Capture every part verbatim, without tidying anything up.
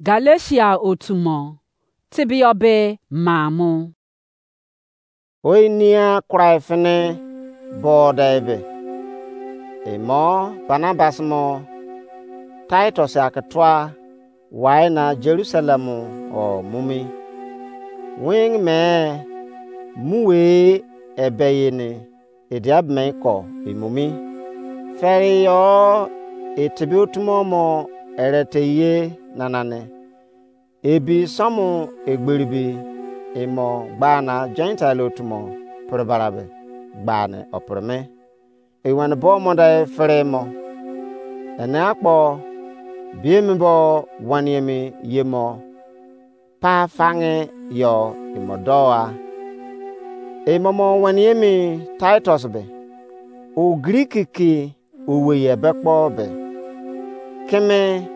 Galatia otu mo, tebeyọ be maa mo. Oinia kurai fini bọọdei be, imo Barnabas mo Titus ake tua wai na Jerusalem o mu mi. Wing me mu we ebe ye ni ediabimei ko imo mi. Fere yo etebe otu mo mo erete ye nana ni. Ebi sọmu egberi bi imo gba na Gentile otu mo pere barabe gba ni opere me. Eweni bo mo de fere mo. Ene akpo biemi bo wani emi ye mo pa fange yo imo do a. Imo mo wani emi Titus be, o Greek ki owei ebe kpo be, keme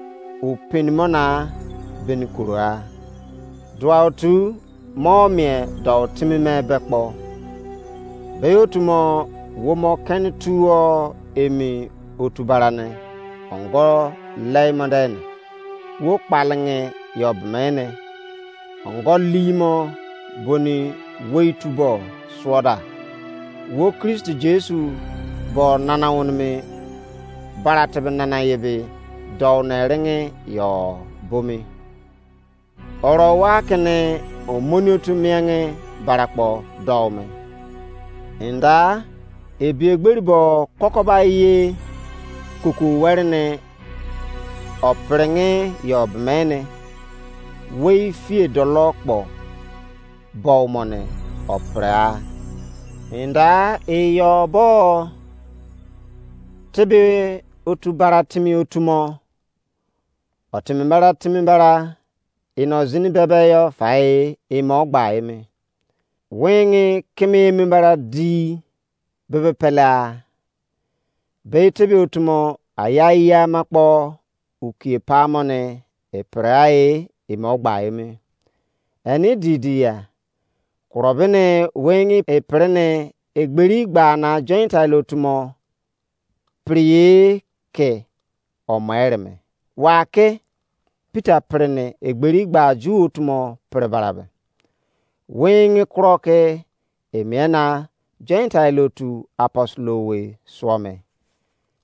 o peni mo na beni koro a. Dua otu mo mie dou timi me be kpo. Be otu mo wo mo keni tuo emi otu bara ne ongo lei mo de ne. Wo kpalinge yo bemene. Ongo limo boni wei tubo suoda. Wo Kristi Jesu bo nana wonimi bara tebe nana ye be dou ne ringe yo bomi. Oro wa kene omoni otu miange bara kpo dou me. Inda ebi egberi bo kokoba ye kuku weri ne opringe yo bemene wei fie dolo kpo bou mo ne opre a. Inda eyo bo tebe otu bara timi otu mo. Otimi bara timi bara ino zini bebe yo fai imo gba emi. Wingi kimi emi bara di bebe pele a. Be tebe otu mo aya iya ma kpo ukie pa mo ne epre a e imo gba emi. Eni di di ya. Kuro bene wingi epre ne egberi gba na Gentile otu mo priye ke omo ereme. Wa ke Peter pre ne egberi gba Ju otu mo pre barabe. Wingi kuro ke emie na Gentile otu apostle we suo me.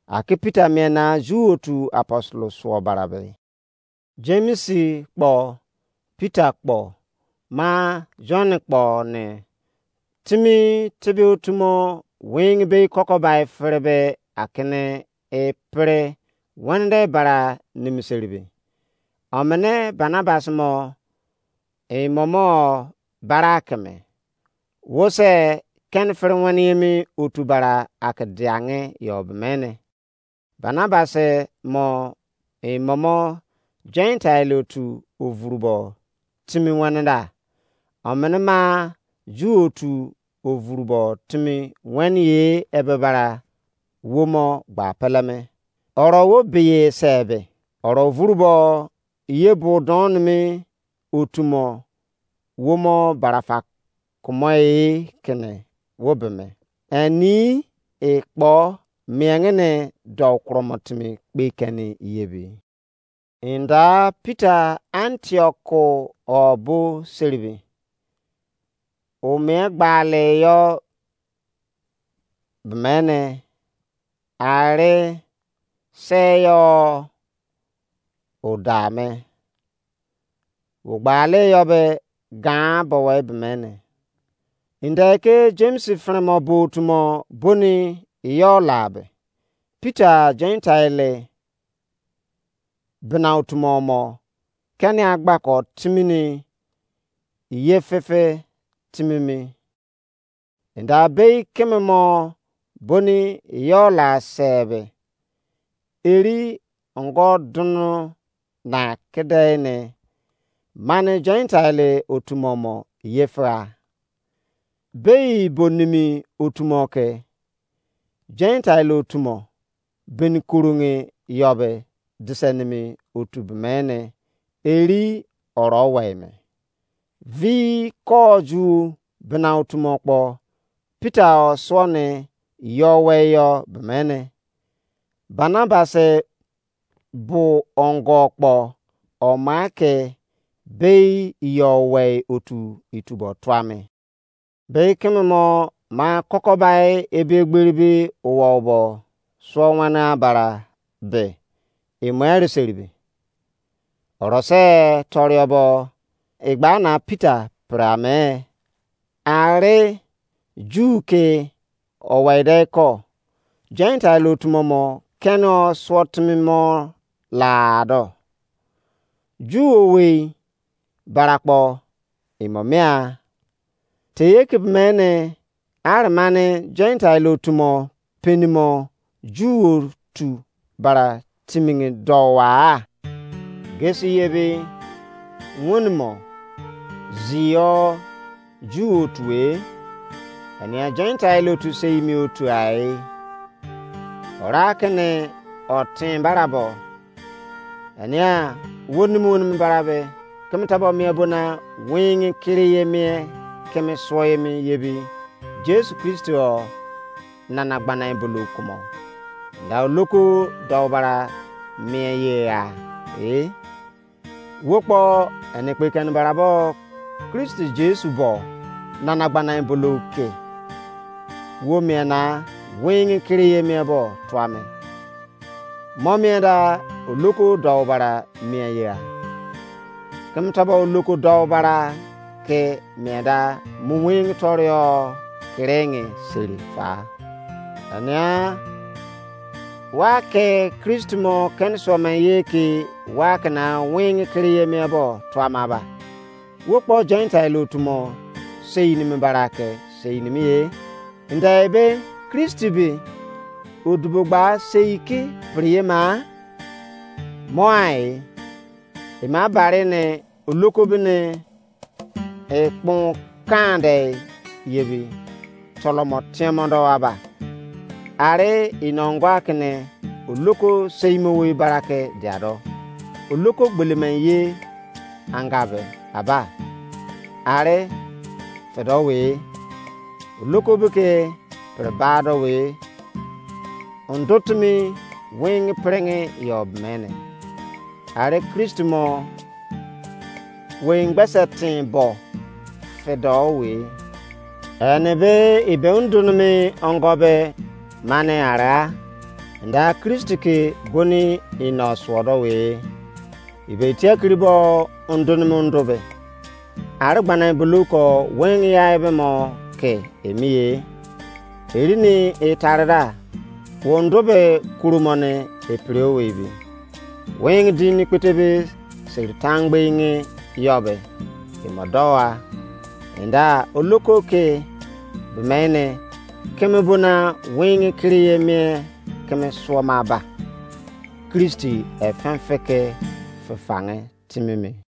Ake Peter mie na Ju otu apostle suo barabe. James kpo, Peter kpo, ma John kpo ne timi tebe otu mo wingi be kokobai fere be akene e pre wende bara nimiseribe. Omene Barnabas mo imo mo bara keme. Wo se ken fere wani emi otu bara ake diange yo bemene. Barnabas mo imo mo Gentile otu ovurubo timi wani da. Omene ma Ju otu ovurubo timi wani ye ebe bara wo mo gba peleme. Oro wo beye se be. Oro vurubo ye bo don mi otu mo wo mo barafa kumo e kene wo be me. Ani e kpo miengene dou kuro mo timi kpe keni yebi. Inda Peter Antioch o bo seribi. O mie gbale yo bemene are se yo o da me. Wo gbale yo be gan bo we bemene. Inde ke James fremo bo otu mo boni yo la be. Peter Gentile bena otu mo mo keni agbako timi ni ye fefe timi mi. Inde abei keme mo boni yo la sebe. Eri ongo dunu na kede ne mane Gentile otu mo mo ye fera. Bei bo nimi otu mo ke Gentile otu mo beni kurungi yo be dise nimi otu bemene eri oro wei me. Vi ko Ju bena otu mo kpo Peter o suo ni yo wei yo bemene. Barnabas bu ongo kpo oma ke bei yo wei otu itubo tuame. Bei keme mo ma kokobai ebe gberi be owobo suo wana bara be emo ere seribe. Orose toriobo igba na Peter prame. Are Ju ke owei de ko Gentile otu mo mo kene o suo timi mo la do. Ju owei bara kpo imo mia. Teye ke mene are mane Gentile otu mo penimo Ju otu bara timini dowa. Gesi yebi wunimo zio Ju otu e, enia Gentile otu seimi otu ai. Ora kene otin barabo. Enia wonim wonim barabe keme tabo mie bona wingi kiri ye mie keme suo ye mi yebi Jesu Kristo o nana gbana bulu kumo. Nda oloko dou bara mie ye ya. E wo kpo ene kpe kene barabo Kristo Jesu bo nana gbana bulu ke wo mie na wingi kiri ye mie bo tuame. Mo mie da oloko dou bara mie ya. Keme tabo oloko dou bara ke mie da mu wingi torio kiringi seri fa. Ania wa ke Kristo mo kene suo me ye ke wa ke na wingi kiri ye mie bo tuama ba. Wo kpo Gentile otu mo sei nimi bara ke sei nimi ye. Nda ebe Kristi be odubo gba sei ki priye ma mo ai ema bare ne oloko bene ekpon kande yebi tolomo tiemondo aba. Are inongwa kene oloko seimo wei barake diado. Oloko gbelemen ye angabe aba. Are fedo wei. Oloko beke perebado wei. Ondotumi wingi pringi yo mene. Are Kristo mo wei ngbese tin bo fedo wei. Ene be ibe undunumi ongo be mane ara nda Kristo ke goni ino suodo wei. Ibe itiakiri bo undunumi undu be. Ari gbana bulu ko wingi ya ebe mo ke emi ye. Erini etare da wondu be kuru mo ne epiri owei bi. Wingi di ni kpete be seri tangbe inge yo be imo dowa. Inda oloko ke bemene keme bona wingi kiri ye mie keme suoma ba. Kristi efenfeke fefange timime.